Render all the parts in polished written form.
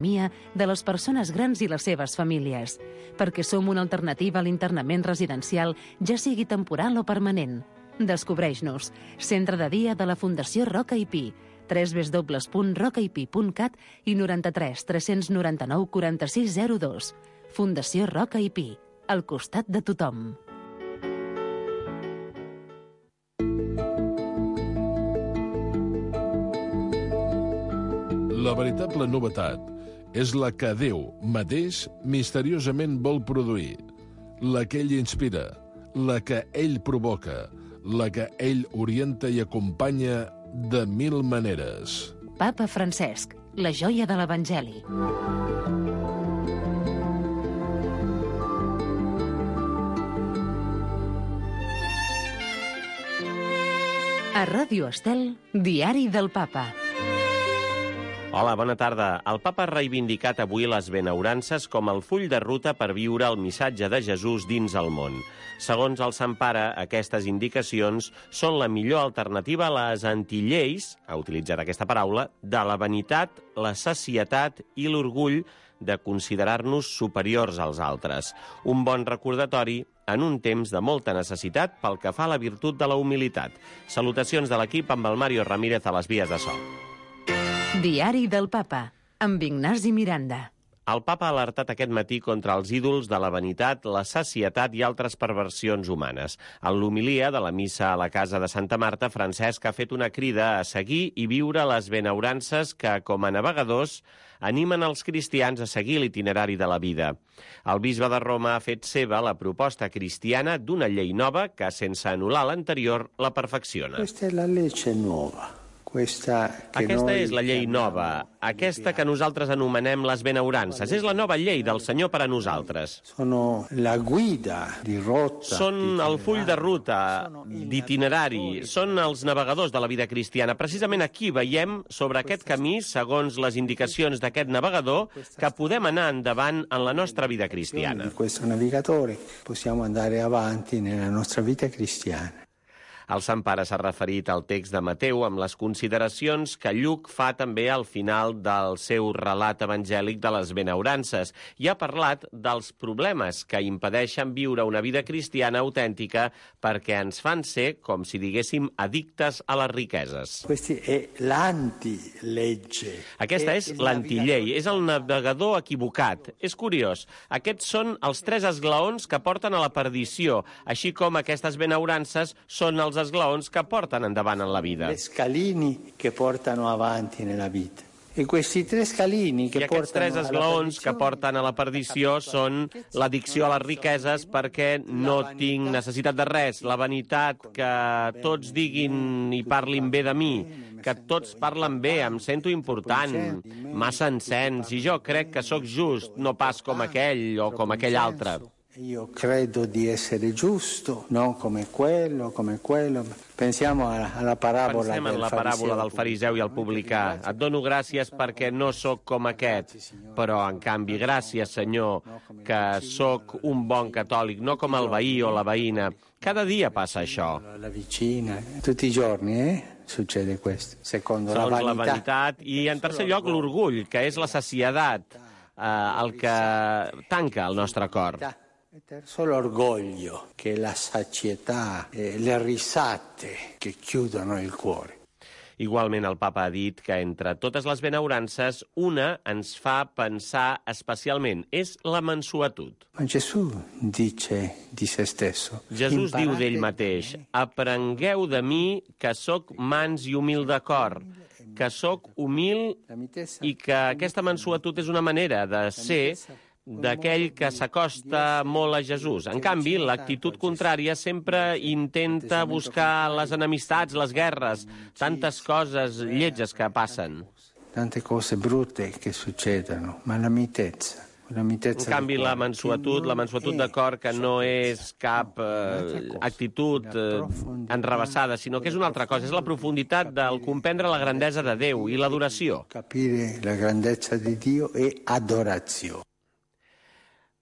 de les persones grans i les seves famílies, perquè som una alternativa a l'internament residencial, ja sigui temporal o permanent. Descobreix-nos. Centre de dia de la Fundació Roca i Pi, www.rocaipi.cat i 93 399 4602. Fundació Roca i Pi, al costat de tothom. La veritable novetat és la que Déu mateix misteriosament vol produir, la que ell inspira, la que ell provoca, la que ell orienta i acompanya de mil maneres. Papa Francesc, la joia de l'Evangeli. A Ràdio Estel, Diari del Papa. Hola, bona tarda. El papa ha reivindicat avui les benaurances com el full de ruta per viure el missatge de Jesús dins el món. Segons el Sant Pare, aquestes indicacions són la millor alternativa a les antilleis, ha utilitzat aquesta paraula, de la vanitat, la sacietat i l'orgull de considerar-nos superiors als altres. Un bon recordatori en un temps de molta necessitat pel que fa a la virtut de la humilitat. Salutacions de l'equip amb el Mario Ramírez a les vies de so. Diari del Papa, amb Ignasi Miranda. El papa ha alertat aquest matí contra els ídols de la vanitat, la sacietat i altres perversions humanes. En l'homilia de la missa a la casa de Santa Marta, Francesc ha fet una crida a seguir i viure les benaurances que, com a navegadors, animen els cristians a seguir l'itinerari de la vida. El bisbe de Roma ha fet seva la proposta cristiana d'una llei nova que, sense anul·lar l'anterior, la perfecciona. Questa è la legge nuova. Aquesta és la llei nova, aquesta que nosaltres anomenem les benaurances. És la nova llei del Senyor per a nosaltres. Són el full de ruta, d'itinerari, són els navegadors de la vida cristiana. Precisament aquí veiem sobre aquest camí, segons les indicacions d'aquest navegador, que podem anar endavant en la nostra vida cristiana. Di questo navigatore possiamo andare avanti nella nostra vita cristiana. El Sant Pare s'ha referit al text de Mateu amb les consideracions que Lluc fa també al final del seu relat evangèlic de les benaurances i ha parlat dels problemes que impedeixen viure una vida cristiana autèntica perquè ens fan ser, com si diguéssim, addictes a les riqueses. Aquesta és l'antillei, és el navegador equivocat. És curiós, aquests són els tres esglaons que porten a la perdició, així com aquestes benaurances són els esglaons que porten endavant en la vida. Le scalini che portano avanti nella vita. I aquests tres esglaons que porten a la perdició són l'addicció a les riqueses perquè no tinc necessitat de res, la vanitat, que tots diguin i parlin bé de mi, que tots parlen bé, em sento important, massa encens, i jo crec que sóc just, no pas com aquell o com aquell altre. Io credo di essere giusto, non come quello. Pensiamo alla parabola Pensem en la paràbola del fariseu i el publicà. Et dono gràcies perquè no sóc com aquest, però, en canvi, gràcies, Senyor, que sóc un bon catòlic, no com el veí o la veïna. Cada dia passa això. La vicina, tutti i giorni, succede questo. Segons la vanitat. I, en tercer lloc, l'orgull, que és la saciedat, el que tanca el nostre cor. Solo orgoglio che la sazietà, le risate che chiudono il cuore. Igualment, el papa ha dit que entre totes les benaurances, una ens fa pensar especialment, és la mansuetud. Ma Gesù dice di se stesso. Jesús diu d'ell mateix, aprengueu de mi que sóc mans i humil de cor, que sóc humil i que aquesta mansuetud és una manera de ser d'aquell que s'acosta molt a Jesús. En canvi, l'actitud contrària sempre intenta buscar les enemistats, les guerres, tantes coses lletges que passen. Tante cose brutte che succedono, ma la mitezza. En canvi, la mansuetud de cor, que no és cap actitud enrevessada, sinó que és una altra cosa, és la profunditat del comprendre la grandesa de Déu i l'adoració. Capire la grandezza di Dio e adorazione.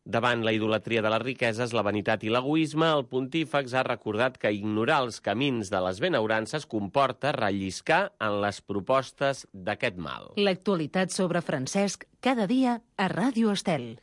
Davant la idolatria de les riqueses, la vanitat i l'egoisme, el pontífex ha recordat que ignorar els camins de les benaurances comporta relliscar en les propostes d'aquest mal. L'actualitat sobre Francesc cada dia a Ràdio Estel.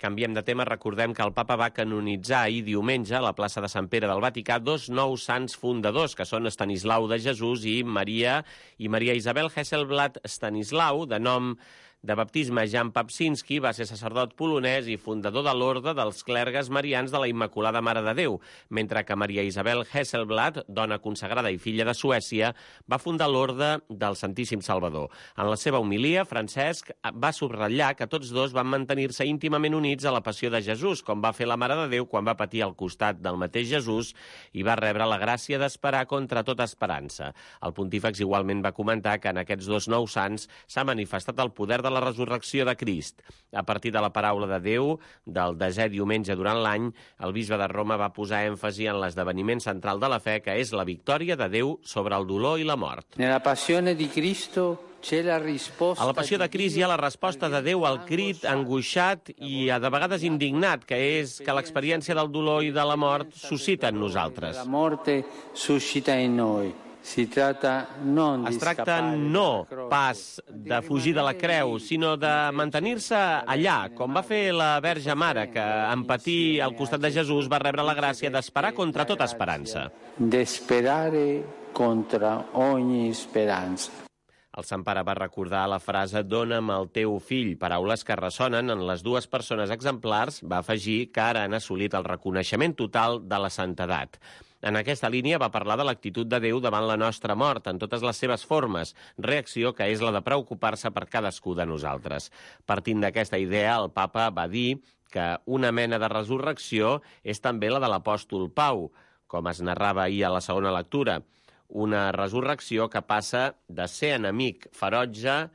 Canviem de tema, recordem que el papa va canonitzar ahir diumenge a la plaça de Sant Pere del Vaticà 2 nous sants fundadors, que són Estanislau de Jesús i Maria Isabel Hesselblad Stanislau, de nom de baptisme Jan Papczynski, va ser sacerdot polonès i fundador de l'Orde dels Clergues Marians de la Immaculada Mare de Déu, mentre que Maria Isabel Hesselblad, dona consagrada i filla de Suècia, va fundar l'Orde del Santíssim Salvador. En la seva homilia, Francesc va subratllar que tots dos van mantenir-se íntimament units a la passió de Jesús, com va fer la Mare de Déu quan va patir al costat del mateix Jesús i va rebre la gràcia d'esperar contra tota esperança. El pontífex igualment va comentar que en aquests dos nous sants s'ha manifestat el poder de la resurrecció de Crist. A partir de la paraula de Déu, del 10è diumenge durant l'any, el bisbe de Roma va posar èmfasi en l'esdeveniment central de la fe, que és la victòria de Déu sobre el dolor i la mort. Nella passione di Cristo c'è la risposta. A la passió de Crist hi ha la resposta de Déu al crit angoixat i de vegades indignat, que és que l'experiència del dolor i de la mort suscita en nosaltres. La morte suscita in noi. Es tracta no pas de fugir de la creu, sinó de mantenir-se allà, com va fer la Verge Mare, que en patir al costat de Jesús va rebre la gràcia d'esperar contra tota esperança. D'esperare contra ogni speranza. El Sant Pare va recordar la frase «Dóna'm el teu fill», paraules que ressonen en les dues persones exemplars, va afegir que ara han assolit el reconeixement total de la santedat. En aquesta línia va parlar de l'actitud de Déu davant la nostra mort, en totes les seves formes, reacció que és la de preocupar-se per cadascú de nosaltres. Partint d'aquesta idea, el papa va dir que una mena de resurrecció és també la de l'apòstol Pau, com es narrava ahir a la segona lectura. Una resurrecció que passa de ser enemic ferotge,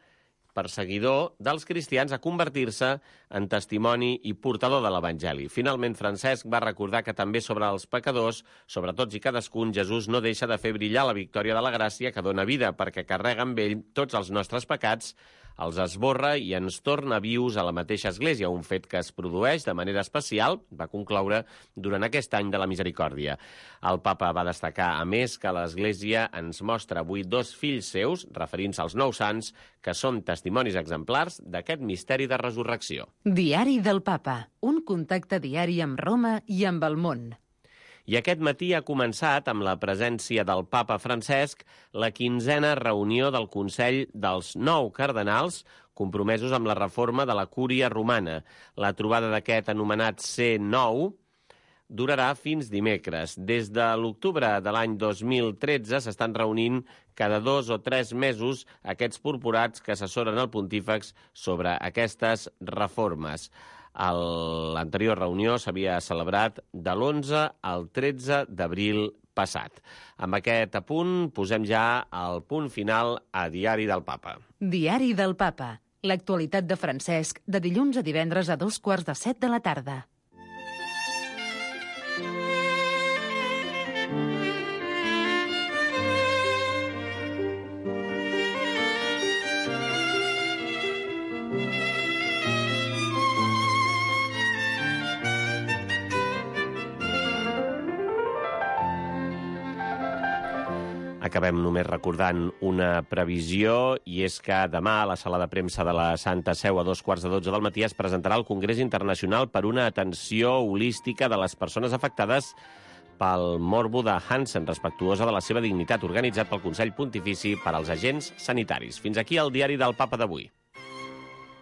perseguidor dels cristians, a convertir-se en testimoni i portador de l'Evangeli. Finalment, Francesc va recordar que també sobre els pecadors, sobre tots i cadascun, Jesús no deixa de fer brillar la victòria de la gràcia que dona vida, perquè carrega amb ell tots els nostres pecats, els esborra i ens torna vius a la mateixa Església, un fet que es produeix de manera especial, va concloure, durant aquest any de la misericòrdia. El papa va destacar, a més, que l'Església ens mostra avui dos fills seus, referint-se als nous sants, que són testimonis exemplars d'aquest misteri de resurrecció. Diari del Papa, un contacte diari amb Roma i amb el món. I aquest matí ha començat, amb la presència del papa Francesc, la 15a reunió del Consell dels 9 cardenals compromesos amb la reforma de la Cúria romana. La trobada d'aquest anomenat C9 durarà fins dimecres. Des de l'octubre de l'any 2013 s'estan reunint cada 2 o 3 mesos aquests purpurats que assessoren el pontífex sobre aquestes reformes. L'anterior reunió s'havia celebrat de l'11 al 13 d'abril passat. Amb aquest apunt posem ja el punt final a Diari del Papa. Diari del Papa. L'actualitat de Francesc de dilluns a divendres a 6:45 de la tarda. Acabem només recordant una previsió, i és que demà a la sala de premsa de la Santa Seu a 2:15 del matí es presentarà el Congrés Internacional per una atenció holística de les persones afectades pel morbo de Hansen, respectuosa de la seva dignitat, organitzat pel Consell Pontifici per als Agents Sanitaris. Fins aquí el Diari del Papa d'avui.